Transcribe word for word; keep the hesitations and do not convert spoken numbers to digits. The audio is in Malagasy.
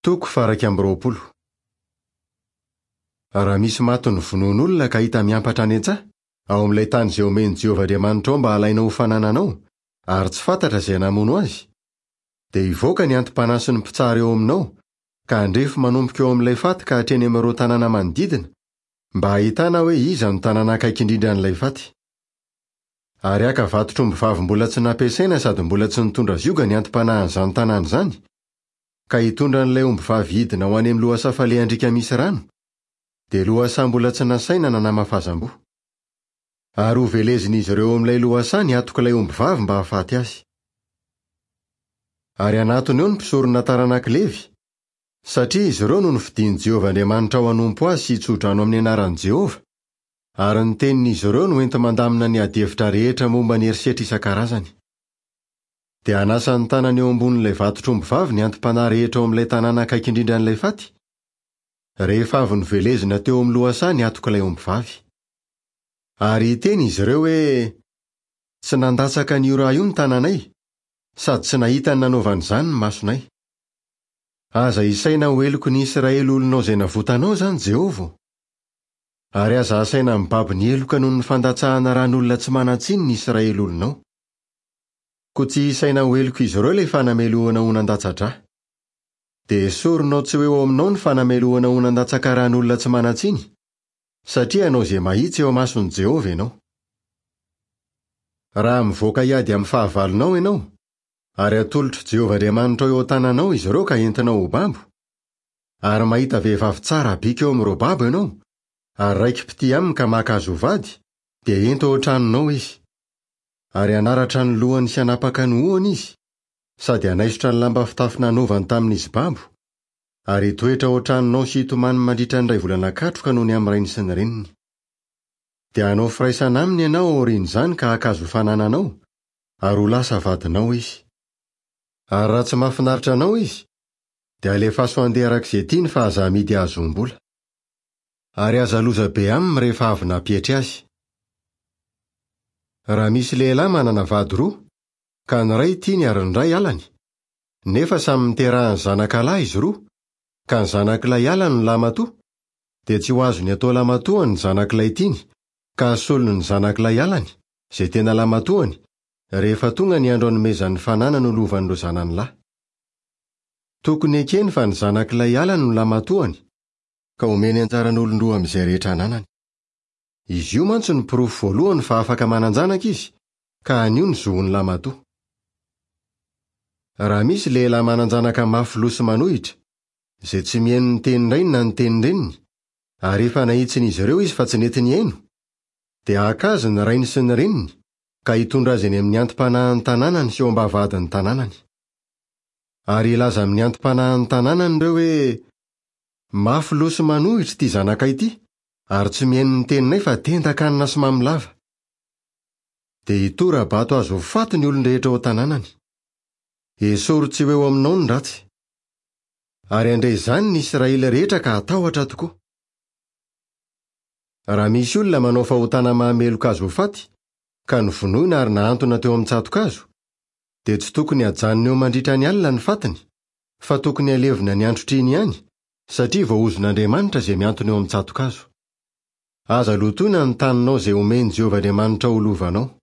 Toko faha-iraika amby roapolo. Raha misy maty novonoin'olona ka hita miampatra any an-tsaha, ao amin'ilay tany izay omen'i Jehovah Andriamanitrao mba halainao ho fanananao, ary tsy fantatra izay namono azy, dia hivoaka ny anti-panahy sy ny mpitsara eo aminao, ka handrefy manomboka eo amin'ilay faty ka hatreny amin'ireo tanàna manodidina, mba hahitana hoe iza no tanàna akaiky indrindra an'ilay faty. Ary haka vatotr'ombivavy mbola tsy nampiasaina sady mbola tsy nitondra zioga ny anti-panahin'izany tanàna izany, ka hitondra an'ilay ombivavy hidina ho any amin'ny lohasaha falehan-driaka misy rano, dia lohasaha mbola tsy nasaina na namafazam-boa. Ary hovelezin'izy ireo amin'ilay lohasaha ny hatok'ilay ombivavy mba hahafaty azy. Ary hanatona eo ny mpisorona taranak'i Levy, satria izy ireo no nofidin'i Jehovah Andriamanitra ho hanompo azy sy hitsodrano amin'ny anaran'i Jehovah, ary ny tenin'izy ireo no enti-mandamina ny adihevitra rehetra momba ny herisetra isan-karazany. Dia hanasa ny tanany eo ambonin'ilay vatotr'ombivavy ny anti-panahy rehetra ao amin'ilay tanàna akaiky indrindra an'ilay faty, rehefa avy novelezina teo amin'ny lohasaha ny hatok'ilay ombivavy. Ary hiteny izy ireo hoe: "Tsy nandatsaka an'io ra io ny tananay, sady tsy nahita ny nanaovana izany ny masonay. Aza isaina ho heloky ny Israely olonao izay navotanao izany, Jehovah. Ary aza asaina mibaby ny heloka noho ny fandatsahana ran'olona tsy manan-tsiny ny Israely olonao. Koa tsy isaina ho heloka izy ireo ilay fanamelohana ho nandatsa-drà. Dia esorinao tsy ho eo aminao ny fanamelohana ho nandatsaka ran'olona tsy manan-tsiny, satria hanao izay mahitsy eo imason'i Jehovah ianao. Raha mivoaka hiady amin'ny fahavalonao ianao, ary atolotr'i Jehovah Andriamanitrao eo an-tananao izy ireo ka entinao ho babo, ary mahita vehivavy tsara bika eo amin'ireo babo ianao, ary raiki-pitia aminy ka maka azy ho vady, dia ento ao an-tranonao izy. Ary hanaratra ny lohany sy hanapaka ny hohony izy, sady hanaisotra ny lamba fitafy nanaovany tamin'izy babo, ary hitoetra ao an-tranonao sy hitomany mandritra ny iray volana katroka noho ny amin'ny rainy sy ny reniny. Dia hanao firaisana aminy ianao aorian'izany ka haka azy ho fanananao, ary ho lasa vadinao izy. Ary raha tsy mahafinaritra anao izy, dia alefaso handeha araka izay tiany fa aza amidy hahazoam-bola. Ary aza loza be aminy rehefa avy nampietry azy. Raha misy lehilahy manana vady roa, ka ny iray tiany ary ny iray halany, nefa samy niterahany zanakalahy izy roa, ka ny zanak'ilay halany no lamatoa, dia tsy ho azony atao lamatoany ny zanak'ilay tiany, ka hasolony ny zanak'ilay halany, izay tena lamatoany, rehefa tonga ny andro hanomezan'ny fananany ho lovan'ireo zanany lahy. Tokony ekeny fa ny zanak'ilay halany no lamatoany, ka omeny anjaran'olon-droa amin'izay rehetra ananany. Izy io mantsy no porofo voalohany fa afaka manan-janaka izy, ka anio ny zohon'ny lamatoa. Raha misy lehilahy manan-janaka mafy loha sy manohitra, izay tsy mihaino ny tenin-drainy na ny tenin-dreniny, ary efa nahitsin'izy ireo izy fa tsy nety nihaino, dia haka azy ny rainy sy ny reniny, ka hitondra azy eny amin'ny anti-panahin'ny tanànany sy eo am-bavahadin'ny tanànany. Ary hilaza amin'ny anti-panahin'ny tanànany ireo hoe: "Mafy loha sy manohitra ity zanakay ity, ary tsy mihaino ny teninay fa tendan-kanina sy mamy lava." Dia hitora-bato azy ho faty ny olon-drehetra ao an-tanànany. Esory tsy ho eo aminao ny ratsy. Ary handre izany ny Israely rehetra ka hatahotra tokoa. Raha misy olona manao fahotana mahameloka azy ho faty, ka novonoina ary nahantona teo amin'ny tsato-kazo, dia tsy tokony hajanona eo mandritra ny alina ny fatiny, fa tokony halevina ny androtr'iny ihany, satria voahozon'Andriamanitra izay mihantona eo amin'ny tsato-kazo. Aza lotoina ny taninao izay omen'i Jehovah Andriamanitra ho lovanao.